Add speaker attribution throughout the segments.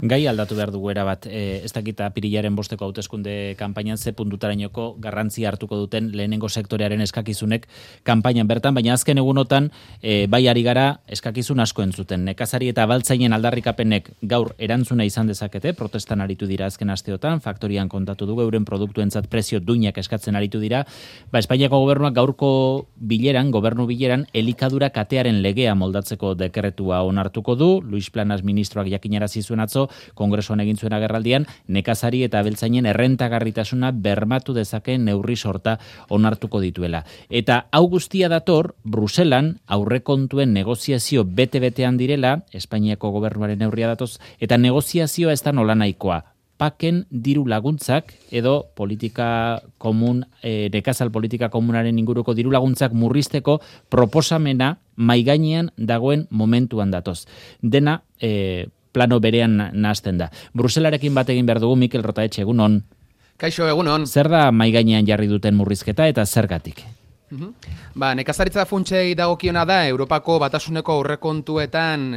Speaker 1: Gai aldatu behar dugu erabat, ez dakita apirilaren 5 hauteskunde kanpainan ze puntutarainoko garrantzia hartuko duten lehenengo sektorearen eskakizunek kanpainan bertan, baina azken egunotan bai ari gara eskakizun asko entzuten. Nekazari eta abaltzainen aldarrikapenek gaur erantzuna izan dezakete, protestan aritu dira azken asteotan, faktorian kontatu dugu, euren produktuentzat prezio duinak eskatzen aritu dira. Espainiako gobernuak gaurko gobernu bileran, elikadura katearen legea moldatzeko dekretua onartuko du. Luis Planas ministroak jakinarazi zuen atzo, Kongresuan egin zuen agerraldian, nekazari eta abeltzainen errentagarritasuna bermatu dezakeen neurri sorta onartuko dituela. Eta hau guztia dator, Bruselan aurrekontuen negoziazio bete-betean direla, Espainiako gobernuaren neurria datoz, eta negoziazioa ez da nolanahikoa. Paken diru laguntzak edo politika komun, nekazal politika komunaren inguruko diru laguntzak murrizteko proposamena maigainean dagoen momentuan datoz. Dena plano berean nahazten da. Bruselarekin bat egin behar dugu, Mikel Rotaetxe, egunon.
Speaker 2: Kaixo, egunon.
Speaker 1: Zer da maigainean jarri duten murrizketa eta zergatik?
Speaker 2: Nekazaritza funtsei dagokiona da Europako Batasuneko aurrekontuetan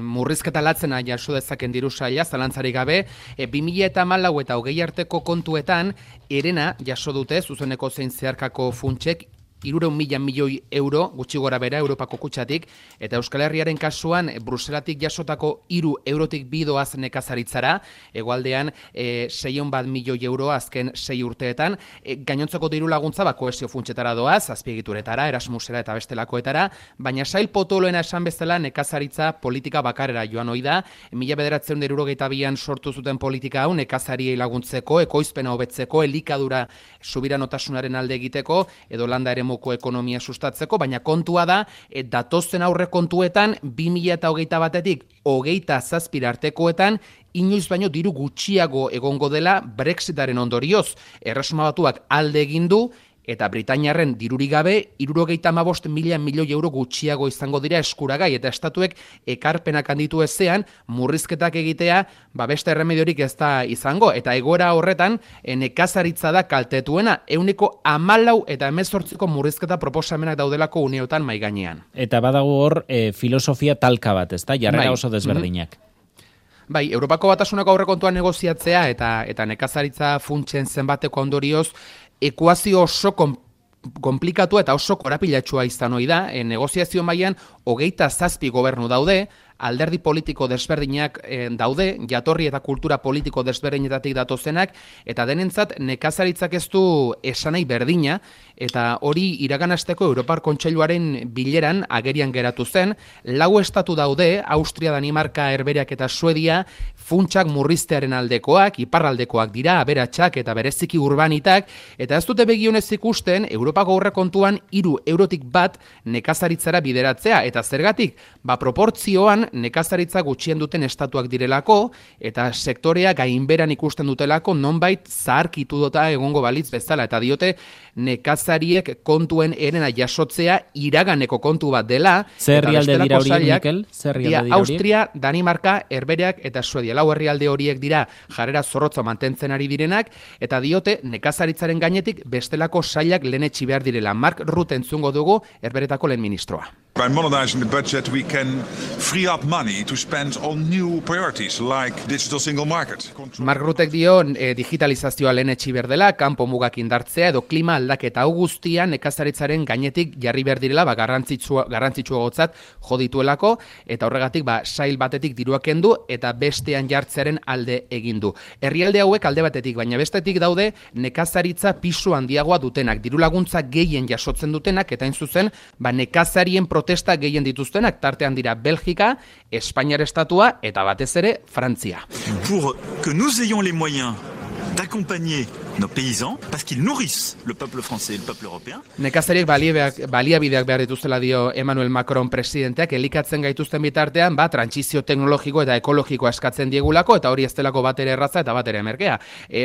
Speaker 2: murrizketa latzena jaso dezaken diru saila, zalantzarik gabe, 2014 eta 2020 arteko kontuetan herena jaso dute zuzeneko zein zeharkako funtsek 300.000 milioi euro, gutxi gora bera, Europako kutxatik, eta Euskal Herriaren kasuan, Bruselatik jasotako 3 eurotik bidoaz nekazaritzara, hegoaldean 601 milioi euro azken 6 urteetan, gainontzeko diru laguntza kohesio funtsetara doaz, azpiegituretara, Erasmusera eta bestelakoetara, baina sail potoloena esan bezala nekazaritza politika bakarera joan ohi da, 1972an sortu zuten politika hau, nekazariei laguntzeko, ekoizpena hobetzeko, elikadura subiranotasunaren alde egiteko, edo landa eremoko ekonomia sustatzeko, baina kontua da, datozen aurre kontuetan, 2021etik 2027 artekoetan, inoiz baino diru gutxiago egongo dela Brexitaren ondorioz. Erresuma Batuak alde egin du, eta Britainiarren dirurik gabe, 75.000 milioi euro gutxiago izango dira eskuragai, eta estatuek ekarpenak handitu ezean, murrizketak egitea, beste erremediorik ez da izango, eta egoera horretan, nekazaritza da kaltetuena, 14 eta 18 murrizketa proposamenak daudelako uneotan maigainean.
Speaker 1: Eta badago hor filosofia talka bat, ez da? Jarrera oso desberdinak.
Speaker 2: Bai, Europako Batasuneko aurrekontua negoziatzea eta nekazaritza funtsen zenbateko ondorioz, ekuazio oso komplikatu eta oso korapilatsua izan ohi da, negoziazio mailan 27 gobernu daude, alderdi politiko desberdinak daude, jatorri eta kultura politiko desberdinetatik datozenak, eta denentzat nekazaritzak ez du esanai berdina, eta hori iraganasteko Europar Kontseiluaren bileran agerian geratu zen, 4 estatu daude, Austria, Danimarka, Herbehereak eta Suedia, funtsak murriztearen aldekoak, iparraldekoak dira, aberatsak eta bereziki urbanitak, eta ez dute begionez ikusten, Europako aurrekontuan 3 eurotik bat nekazaritzara bideratzea, eta zergatik, proportzioan nekazaritza gutxien duten estatuak direlako, eta sektorea gainberan ikusten dutelako nonbait zaharkitu dota egongo balitz bezala, eta diote nekazariek kontuen herena jasotzea iraganeko kontu bat dela.
Speaker 1: Zer herrialde dira horiek, Mikel?
Speaker 2: Austria, Danimarka, Herbehereak eta Suedia. 4 herrialde horiek dira jarrera zorrotza mantentzen ari direnak, eta diote nekazaritzaren gainetik bestelako sailak lehenetsi behar direla. Mark Rutte entzungo dugu, Herbehereetako lehen ministroa.
Speaker 3: By modernizing the budget, we can free up money to spend on new priorities, like digital single market.
Speaker 2: Mark Ruttek dio digitalizazioa lehenetsi behar dela, kanpo mugak indartzea edo klima aldaketa hau guztia nekazaritzaren gainetik jarri behar direla, garrantzitsuagotzat jo dituelako, eta horregatik sail batetik diruak kendu eta bestean jartzearen alde egin du. Herrialde hauek alde batetik, baina bestetik daude nekazaritza pisu handiagoa dutenak, diru laguntza gehien jasotzen dutenak, eta hain zuzen, nekazarien protesta gehien dituztenak, tartean dira Belgika, Espainiar estatua eta batez ere Frantzia.
Speaker 4: Pour que nous ayons les moyens d'accompagner nos paysans, parce qu'ils nourrissent le peuple français et le peuple européen.
Speaker 2: Nekazariek baliabideak behar dituztela dio Emmanuel Macron presidenteak, elikatzen gaituzten bitartean, trantsizio teknologiko eta ekologikoa eskatzen diegulako, eta hori ez delako bat ere erraza eta bat ere merkea.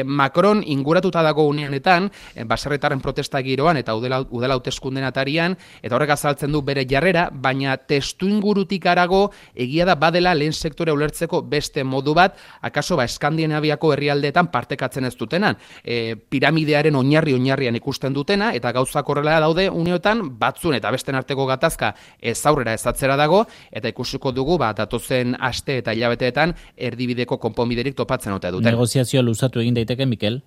Speaker 2: Macron inguratuta dago uneanetan, baserritarren protesta giroan eta udela hauteskunden atarian, eta horrek azaltzen du bere jarrera, baina testu ingurutik harago egia da badela lehen sektore ulertzeko beste modu bat, akaso Eskandinaviako herrialdeetan partekatzen ez dutenan. piramidearen oinarrian ikusten dutena, eta gauzak horrela daude uneotan, batzun eta besten arteko gatazka ez aurrera ez atzera dago, eta ikusiko dugu datozen aste eta hilabeteetan erdibideko konponbiderik topatzen ote duten.
Speaker 1: Negoziazioa luzatu egin daiteke, Mikel?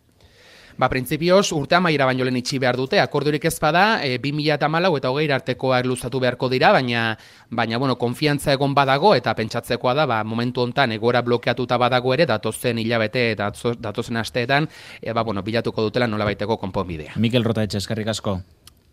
Speaker 2: Printzipioz, urte amaiera baino lehen itxi behar dute, akordiorik ez bada, 2014 eta 20 artekoak luzatu beharko dira, baina konfiantza egon badago, eta pentsatzekoa da, momentu hontan egoera blokeatuta badago ere, datozen hilabete eta datozen asteetan, bilatuko dutela nolabaiteko konponbidea.
Speaker 1: Mikel Rotaetxe, eskerrik asko.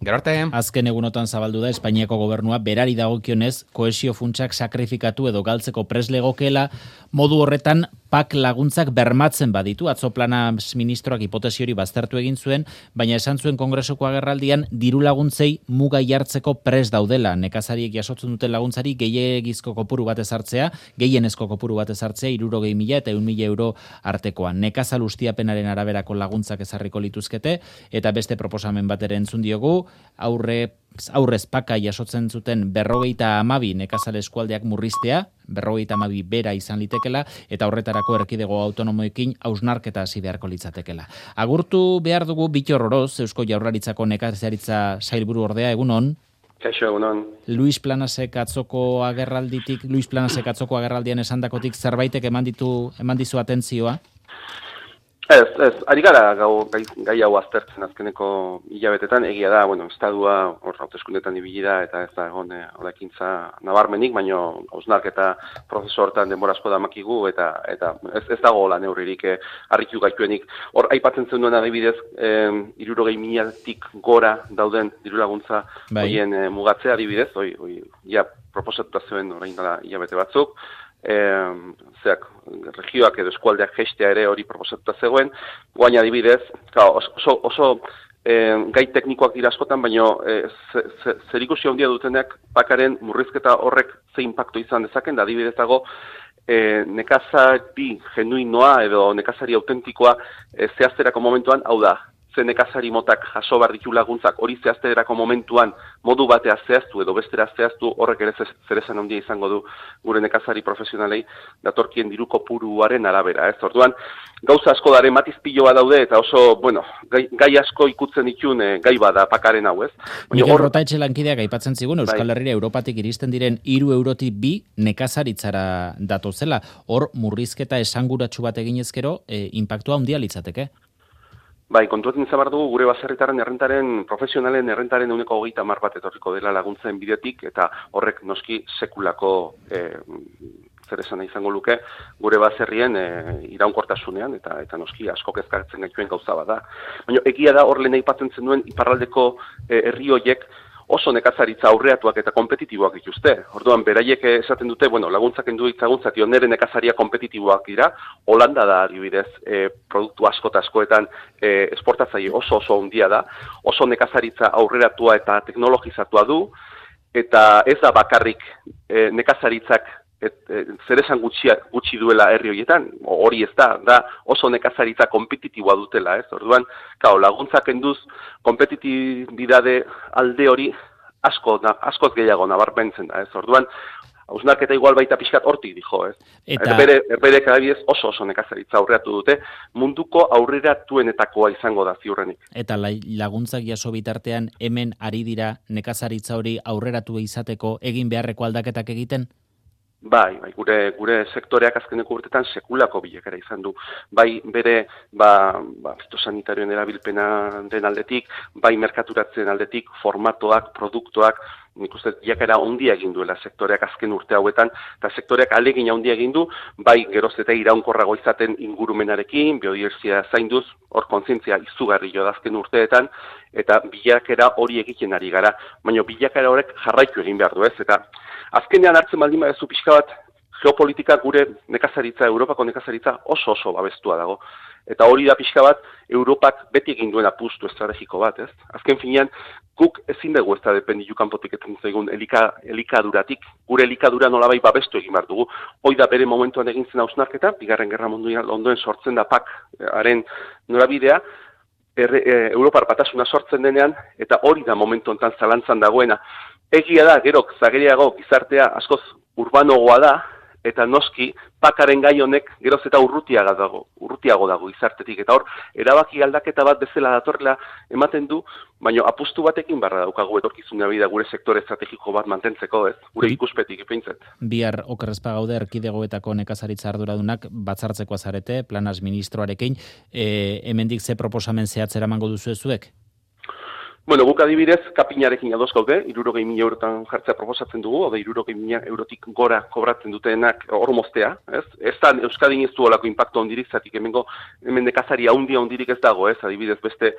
Speaker 2: Gero arte.
Speaker 1: Azken egunotan zabaldu da Espainiako gobernua berari dagokionez kohesio funtsak sakrifikatu edo galtzeko prest legokeela, modu horretan PAK laguntzak bermatzen baditu. Atzo plana ministroak hipotesi hori baztertu egin zuen, baina esan zuen Kongresuko agerraldian diru laguntzei muga jartzeko prest daudela. Nekazariek jasotzen duten laguntzari gehiegizko kopuru bat ezartzea, gehienezko kopuru bat ezartzea 60.000 eta 100.000 euro artekoa. Nekazal ustiapenaren araberako laguntzak ezarriko lituzkete, eta beste proposamen bat ere entzun diogu, aurrez PAKa jasotzen zuten 52 nekazal eskualdeak murriztea, 52 bera izan litekela, eta horretarako erkidego autonomoekin hausnarketa hasi beharko litzatekela. Agurtu behar dugu Bittor Oroz, Eusko Jaurlaritzako nekazaritza sailburu ordea, egunon.
Speaker 5: Kaixo, egunon.
Speaker 1: Luis Planasek atzoko agerraldian esandakotik zerbaitek eman dizu atentzioa?
Speaker 5: Ez, ari gara gai hau aztertzen azkeneko hilabetetan, egia da, estadua hor hauteskundetan ibili da, eta ez da egon ekintza nabarmenik, baina hausnarketa prozesu hortan denbora asko damakigu, eta ez dago la neurririk harritu gaituenik. Hor, aipatzen zen duen adibidez, 60.000-tik gora dauden dirulaguntza horien mugatzea adibidez, ja proposatuta zuen orain dela hilabete batzuk, regioak edo eskualdeak jeistea ere hori proposatuta zegoen, guaina adibidez, oso gai teknikoak dira askotan, baina zerikusi handia dutenak PAKaren murrizketa horrek ze impacto izan dezaken, da adibidez dago nekazari genuinoa edo nekazari autentikoa zehazterako momentuan, hau da, ze nekazari motak jaso behar ditu laguntzak hori zehazterako momentuan modu batea zehaztu edo bestera zehaztu, horrek ere zeresan handia izango du gure nekazari profesionalei datorkien diru kopuruaren arabera. Orduan, gauza asko dare matizpiloa daude eta oso, gai asko ikutzen ditun gai bada PAKaren hau, ez?
Speaker 1: Mikel Rotaetxe lankideak aipatzen zigun, Euskal Herria Europatik iristen diren 3 eurotik 2 nekazaritzara datozela. Hor, murrizketa esanguratsu bat eginezkero, inpaktua handia litzateke?
Speaker 5: Kontuetan izan behar dugu gure baserritarren errentaren, profesionalen errentaren 130 bat etorriko dela laguntzen bidetik, eta horrek noski sekulako zer esan izango luke gure baserrien iraunkortasunean, eta noski asko kezkatzen gaituen gauza bada. Baina egia da hor lehen aipatzen zenuen iparraldeko herri horiek oso nekazaritza aurreatuak eta kompetitiboak dituzte. Orduan, beraiek esaten dute, laguntzak endu ditzaguntzat, nire nekazaria kompetitiboak dira, Holanda da, adibidez, produktu asko eta askoetan esportatzaile oso handia da, oso nekazaritza aurreratua eta teknologizatua du, eta ez da bakarrik nekazaritzak zer esan gutxi duela herri horietan, hori ez da oso nekazaritza kompetitiboa dutela, ez? Orduan, laguntzak enduz kompetitibidade alde hori askoz gehiago nabarmentzen da, ez? Orduan, hausnarketa igual baita pixkat hortik dijo, ez? Herberek adibidez oso nekazaritza aurreratu dute, munduko aurreratuenetakoa izango da ziurrenik.
Speaker 1: Eta laguntzak jaso bitartean hemen ari dira nekazaritza hori aurreratu izateko egin beharreko aldaketak egiten?
Speaker 5: Gure sektoreak azkeneko urtetan sekulako bilekera izan du. Bere, fitosanitarioen erabilpena den aldetik, merkaturatzen aldetik, formatoak, produktoak, nik uste bilakera ondia egin duela sektoreak azken urte hauetan, eta sektoreak alegin handia egin du, geroz eta iraunkorrago izaten ingurumenarekin, biodibertsitatea zainduz, hor kontzientzia izugarri jo da azken urteetan, eta bilakera hori egiten ari gara, baina bilakera horrek jarraitu egin behar du, ez? Eta azkenean hartzen baldin badezu pixka bat, geopolitika gure nekazaritza, Europako nekazaritza oso babestua dago. Eta hori da pixka bat, Europak beti egin duen apustu estrategiko bat, ez? Azken finean, guk ezin dugu ez da dependitu kanpotik etzen zaigun elikaduratik, gure elikadura nolabai babestu egin behar dugu. Hoi da bere momentuan egin zen hausnarketa, Bigarren Gerra Mundial ondoen sortzen da PAKaren norabidea, Europar batasuna sortzen denean, eta hori da momentu honetan zalantzan dagoena. Egia da, gero, zageriago gizartea askoz urbanogoa da, eta noski pakaren gai honek geroz eta urrutiago dago izartetik, eta hor, erabaki aldaketa bat bezala datorrela ematen du, baina apustu batekin barra daukagu etorkizuna bida gure sektore estrategiko bat mantentzeko, ez? Gure ikuspetik ipeintzet.
Speaker 1: Bihar okerrezpa gaude erkidegoetako nekazaritza arduradunak batzartzeko azarete, planas ministroarekin, hemendik ze proposamen zehatzera mango duzu ezuek?
Speaker 5: Bueno, guk adibidez, kapinarekin adoz gaude, 60.000 eurotan jartzea proposatzen dugu, ode 60.000 eurotik gora kobratzen dutenak hor moztea, ez? Ez da Euskadin ez du olako impacto ondirik, zatik hemen nekazari handirik ez dago, ez? Adibidez, beste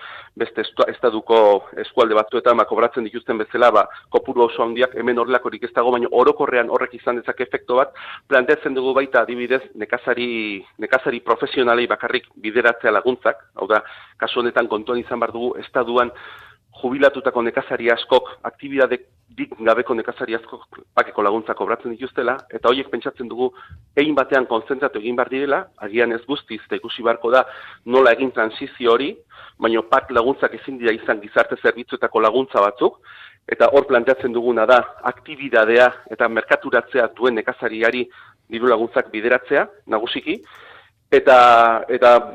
Speaker 5: estaduko eskualde batzuetan kobratzen dituzten bezala, kopuru oso handiak hemen horrelakorik ez dago, baina orokorrean horrek izan dezake efektu bat, planteatzen dugu baita adibidez nekazari profesionalei bakarrik bideratzea laguntzak, hau da, kasu honetan kontuan izan behar dugu estaduan jubilatutako nekazari askok, aktibidadeik gabeko nekazari askok pakeko laguntza kobratzen dituztela, eta horiek pentsatzen dugu egin batean konzentratu egin behar direla, agian ez guztiz, eta ikusi beharko da nola egin transizio hori, baina pak laguntzak ezin dira izan gizarte zerbitzuetako laguntza batzuk, eta hor planteatzen duguna da aktibidadea eta merkaturatzea duen nekazariari diru laguntzak bideratzea, nagusiki, eta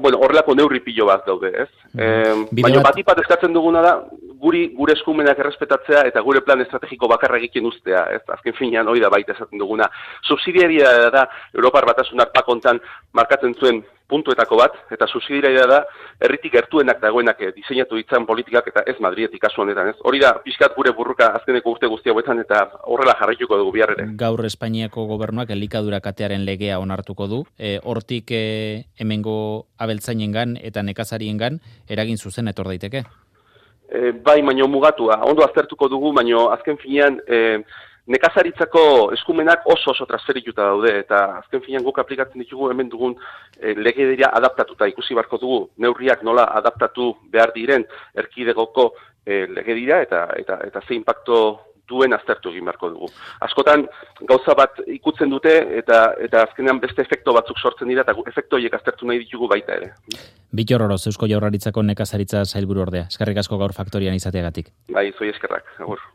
Speaker 5: bueno, horrelako neurri pilo bat daude, ez? Baina batipat eskatzen duguna da, gure eskumenak errespetatzea eta gure plan estrategiko bakarra egiten uztea, ez? Azken finean hori da baita esaten duguna. Subsidiaria da Europar Batasunak pakontan markatzen zuen puntuetako bat, eta subsidiaria da herritik gertuenak dagoenak diseinatu ditzan politikak eta ez Madridetik kasu honetan, ez? Hori da pixkat gure burruka azkeneko urte guzti hauetan eta horrela jarraituko dugu bihar ere.
Speaker 1: Gaur Espainiako gobernuak elikadura katearen legea onartuko du. Hortik hemengo abeltzainengan eta nekazariengan eragin zuzen etor daiteke.
Speaker 5: Bai, baino mugatua. Ondo aztertuko dugu, baino azken finean nekazaritzako eskumenak oso transferituta daude, eta azken finean guk aplikatzen ditugu hemen dugun legedia adaptatuta ikusi beharko dugu, neurriak nola adaptatu behar diren erkidegoko legedia eta ze impacto duen aztertu egin beharko dugu. Askotan gauza bat ikutzen dute eta azkenean beste efekto batzuk sortzen dira eta efekto horiek aztertu nahi ditugu baita ere.
Speaker 1: Bittor Oroz, Eusko Jaurlaritzako nekazaritza sailburu ordea. Eskerrik asko gaur faktorian izateagatik.
Speaker 5: Bai, zoi eskerrak. Agur.